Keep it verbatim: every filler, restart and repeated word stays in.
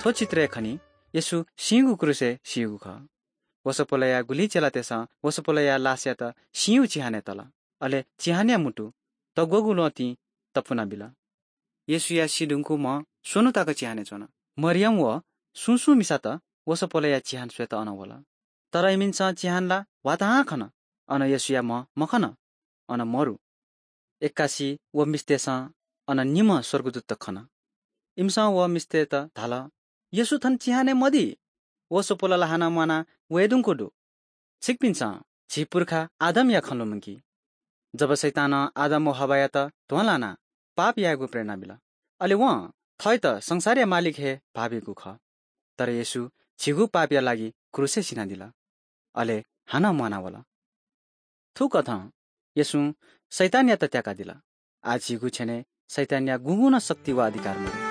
थ्व चित्रय् खनी येशू सिंगु क्रूसय् सीगु खः। वसपोलया गुलि चेलातय्‌सं वसपोलया लासयात सिंगु चिहानय् तल। अले चिहानया मुटु तग्वःगु ल्वहंतिं तपुना बिल। येशूया सी धुंकूम्ह स्वन्हु तक चिहानय् च्वन। मरियम व सुं सुं मिसात वसपोलया चिहान स्वयेत अन वल। तर इमिसं चिहान ला ह्वाताहां खन, अन येशूया म्ह मखन, अन मरु। एक्कासि व मिस्तय्‌सं अन निम्ह स्वर्गदूतत खन। इमिसं व मिस्तय्‌त धाल, "येशू थन चिहानय् मदी। वसपोल ला हानं म्वाना वये धुंकूगु दु। छिकपिन्सं झी पुर्खा आदमया खँ लुमंकि। जब शैतानं आदम व हव्वायात ध्वंलानाः पाप यायेगु प्रेरणा बिल, अले वं थःत संसारया मालिक हे भाःबीगु खः। तर येशू झीगु पापया लागि क्रूसय् सिनादिल, अले हानं म्वानावल।" थुकथं येशूं शैतानयात त्याकादिल। आः झीगु छेनय् शैतानया गुगुं नं शक्ति व अधिकार मदु।